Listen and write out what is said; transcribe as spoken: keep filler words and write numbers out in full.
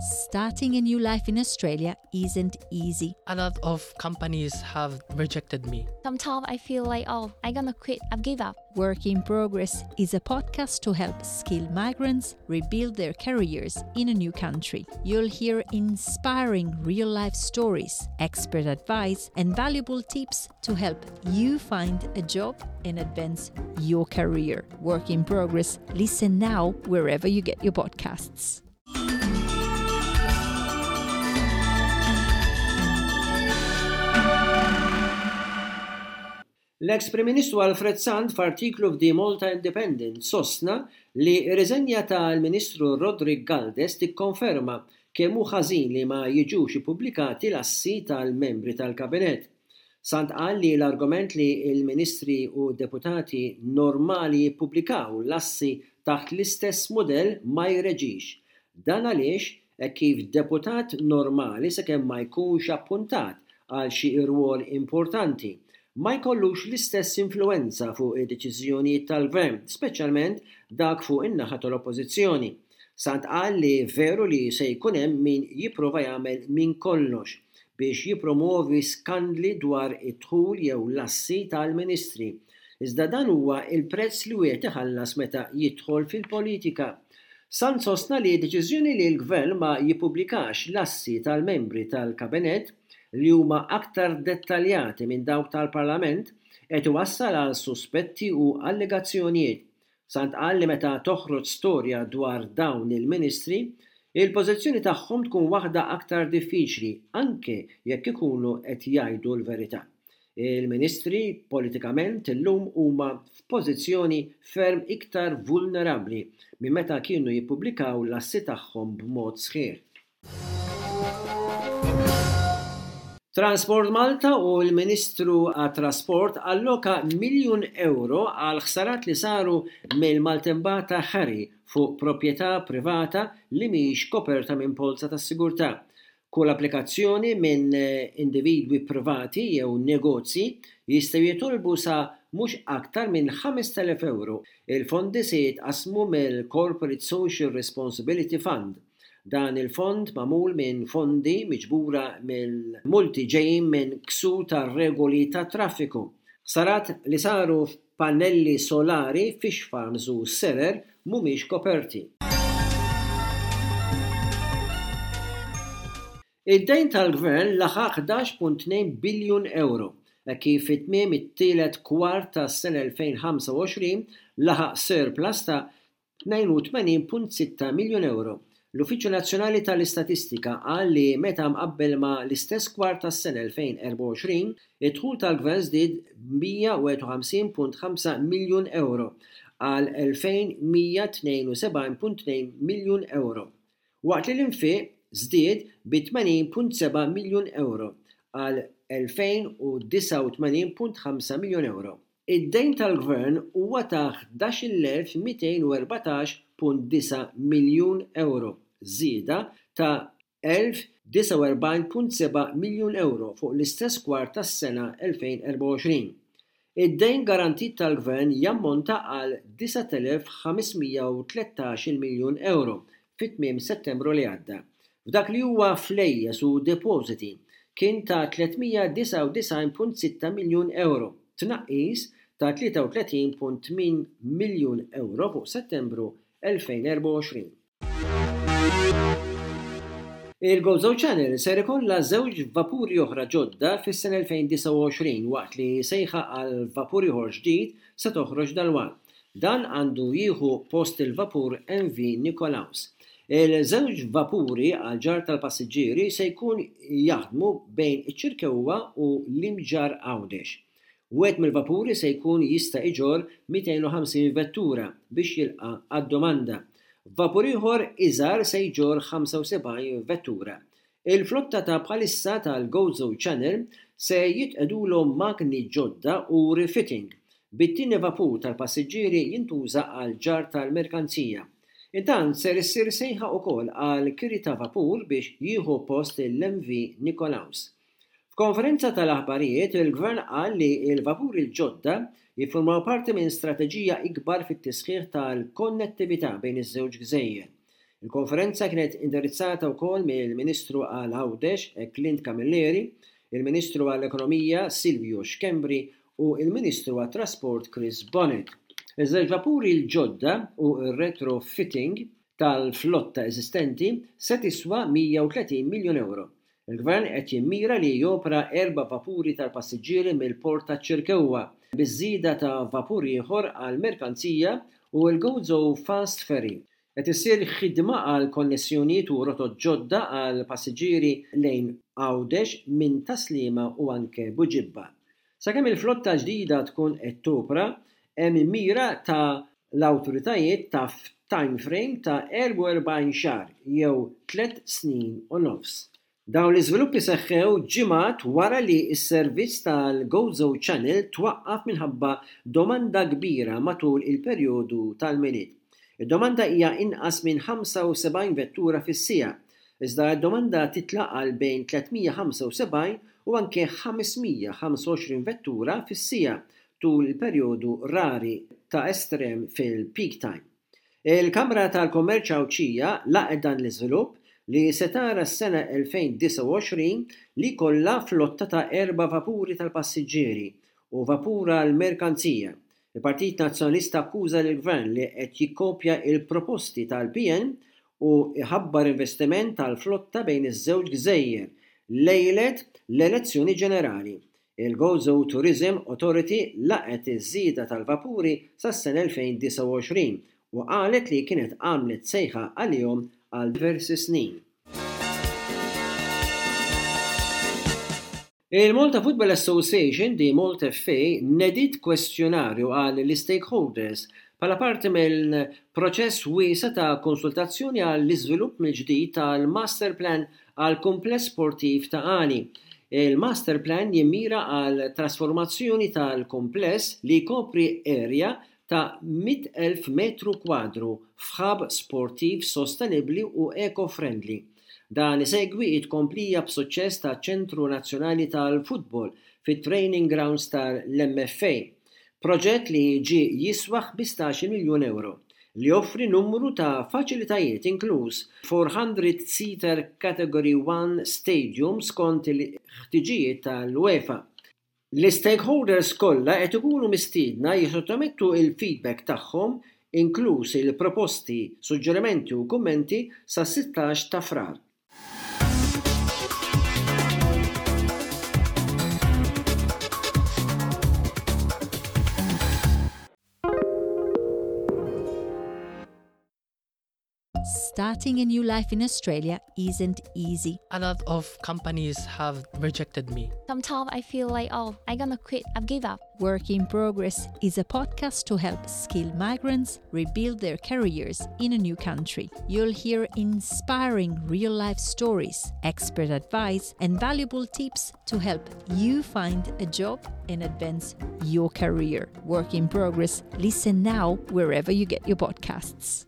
Starting a new life in Australia isn't easy. A lot of companies have rejected me. Sometimes I feel like, oh, I'm gonna quit, I've give up. Work in Progress is a podcast to help skilled migrants rebuild their careers in a new country. You'll hear inspiring real life stories, expert advice, and valuable tips to help you find a job and advance your career. Work in Progress. Listen now wherever you get your podcasts. L-eks Prim Ministru Alfred Sant f'artiklu f'The Malta Independent sostna li r-riżenja tal-Ministru Roderick Galdes tikkonferma kemm hu ħażin li ma jiġux ippubblikati l-assi tal-membri tal-Kabinett. Sant qal li l-argument li l-Ministri u deputati normali jippubblikaw l-assi taħt l-istess mudell ma jreġix. Dan għaliex hekk kif deputat normali sakemm ma jkunx appuntat għal xi rwol importanti, ma jkollux l-istess influwenza fuq id-deċiżjonijiet tal-Gvern, speċjalment dak fuq in-naħa tal-Oppożizzjoni. Sant qal li veru li se jkun hemm min jipprova jagħmel minn kollox biex jippromovi skandli dwar id-dħul jew l-assi tal-Ministri. Iżda dan huwa l-prezz li wieħed iħallas meta jidħol fil-politika. Sant sostna li deċiżjoni li l-Gvern ma jippubblikax l-assi tal-membri tal-Kabinett li huma aktar dettaljati minn dawk tal-Parlament qed iwassal għal suspetti u allegazzjonijiet. Sant qal li meta toħroġ storja dwar dawn il-ministri, il-pożizzjoni tagħhom tkun waħda aktar diffiċli anke jekk ikunu qed jgħidu l-verità. Il-ministri politikament illum huma f'pożizzjoni ferm iktar vulnerabbli minn meta kienu jippubblikaw l-assi tagħhom b'mod sħiħ. Transport Malta u l-Ministru għat-Trasport alloka miljun ewro għal ħsarat li saru mill-maltempata Harry fuq proprjetà privata li mhix koperta minn polza tas-sigurtà. Kull applikazzjoni minn individwi privati jew negozji jistgħu jitolbu sa mhux aktar minn ħamest elef ewro. Il-fondi se jitqassmu mill-Corporate Social Responsibility Fund. Dan il-fond magħmul minn fondi miġbura mill-multi ġejjin minn ksur tar-regoli tat-traffiku. Ħsarat li saru f'pannelli solari, fish farms u serer mhumiex koperti. Id-dejn tal-gvern laħaq ħdax punt tnejn biljun euro, hekk kif fi tmiem it-tielet kwart tas-sena elfejn ħamsa u għoxrin laħaq surplus ta' tnejn u tmenin punt sitta miljun euro. L-Uffiċċju Nazzjonali tal-Istatistika qal li meta mqabbel ma' l-istess kwart tas-sena elfejn erbgħa u għoxrin, id-dħul tal-gvern żdied b'mija u wieħed u ħamsin punt ħamsa miljun euro għal elfejn mija tnejn u sebgħin punt tnejn miljun euro, waqt li l-infiq żdied bi tmenin punt seba' miljun euro għal elfejn u disgħa u tmenin punt ħamsa miljun euro. Id-dejn tal-gvern huwa ta' ħdax-il elf mitejn u erbatax punt disa' miljun euro, żieda ta' elf disgħa u erbgħin punt seba' miljun euro fuq l-istess kwart tas-sena elfejn erbgħa u għoxrin. Id-dejn garantit tal-gvern jammonta għal disat elef ħames mija u tlettax-il miljun euro fi tmiem Settembru li għadda. F'dak li huwa flejjes u depożiti kien ta' tliet mija disgħa u disgħin punt sitta miljun euro, tnaqqis ta' tlieta u tletin punt tmien miljun euro fuq Settembru elfejn erbgħa u għoxrin. Il-Gozo Channel ser ikollha żewġ vapuri oħra ġodda fis-sena elfejn disgħa u għoxrin waqt li sejħa għal vapur ieħor ġdid se toħroġ dalwaqt. Dan għandu jieħu post il-vapur M V Nikolaus. Il-żewġ vapuri għal ġarr tal-passiġġieri se jkun jaħdmu bejn iċ-Ċirkewwa u l-Imġarr Għawdex. Wieħed mill-vapuri se jkun jista' iġorr mitejn u ħamsin vettura biex jilqa' għad-domanda. Vapur ieħor iżgħar se jġorr ħamsa u sebgħin vettura. Il-flotta ta' bħalissa tal-Gozo Channel se jitqedulhom magni ġodda u refitting, bit-tieni vapur tal-passiġġieri jintuża għal ġarr tal-merkanzija. Intant ser issir sejħa wkoll għal kiri ta' vapur biex jieħu post l-M V Nikolaus. F'konferenza tal-aħbarijiet, il-Gvern qal li l-vapuri l-ġodda jiffurmaw parti minn strateġija ikbar fit-tisħiħ tal-konnettività bejn iż-żewġ gżejjer. Il-konferenza kienet indirizzata wkoll mill-Ministru għal Għawdex Clint Camilleri, il-Ministru għall-Ekonomija Silvio Schembri u il-Ministru għat-Trasport Chris Bonett. Iż-żewġ vapuri l-ġodda u r-retrofitting tal-flotta eżistenti se tiswa mija u tletin miljun euro. Il-Gvern qed jimmira li jopera erba' vapuri tal-passiġġieri mill-port ta' Ċirkewwa, biż-żieda ta' vapur ieħor għal merkanzija u l-Gozo Fast Ferry. Qed issir ħidma għal konnessjonijiet u rotot ġodda għal passiġġieri lejn Għawdex minn Tas-Sliema u anke Buġibba. Sakemm il-flotta ġdida tkun qed topra, hemm mira ta' l-awtoritajiet ta' time frame ta' erbgħa u erbgħin xahar jew tliet snin u nofs. Dawn l-iżviluppi seħħew ġimgħat wara li s-servizz tal-Gozo Channel twaqqaf minħabba domanda kbira matul il-perjodu tal-Milied. Id-domanda hija inqas minn ħamsa u sebgħin vettura fis-siegħa, iżda d-domanda titla' għal bejn tliet mija u ħamsa u sebgħin u anke ħames mija u ħamsa u għoxrin vettura fis-siegħa tul il-perjodu rari ta' estrem fil-peak time. Il-Kamra tal-Kommerċ Għawdxija laqgħet dan l-iżvilupp li se tara s-sena elfejn u disgħa u għoxrin li jkollha flotta ta' erba' vapuri tal-passiġġieri u vapur għal merkanzija. Il-Partit Nazzjonalista akkuża lill-Gvern li qed jikkopja il-proposti tal-P N u iħabbar investiment tal-flotta bejn iż-żewġ gżejjer lejlet l-elezzjoni ġenerali. Il-Gozo Tourism Authority laqgħet iż-żieda tal-vapuri sas-sena elfejn u disgħa u għoxrin u qalet li kienet għamlet sejħa għalihom għal diversi snin. Il-Malta Football Association, the Malta F A, nediet kwestjonarju għal l-stakeholders bħala parti mill-proċess wiesa' ta' konsultazzjoni għall iżvilupp mill-ġdid tal-Master Plan għal kumpless sportiv Ta' Qali. Il-Master Plan jimmira għal trasformazzjoni tal-kumpless li jkopri area ta' mitt elf metru kwadru f'hub sportiv sostenibli u eco-friendly. Dan isegwi it-komplija b'suċċess ta' Ċentru Nazzjonali tal-Futbol fit-Training Grounds tal-M F A. Proġett li ġi jiswa ħmistax-il miljun euro li joffri numru ta' faċilitajiet, inkluż four hundred-seater Category one Stadium skont il-ħtiġijiet tal-UEFA. L-stakeholders kollha qed ikunu mistiedna jissottomettu il-feedback tagħhom, inkluż il-proposti, suġġerimenti u kummenti, sa sittax ta' Frar. Starting a new life in Australia isn't easy. A lot of companies have rejected me. Sometimes I feel like, oh, I'm gonna quit. I've give up. Work in Progress is a podcast to help skilled migrants rebuild their careers in a new country. You'll hear inspiring real life stories, expert advice, and valuable tips to help you find a job and advance your career. Work in Progress. Listen now wherever you get your podcasts.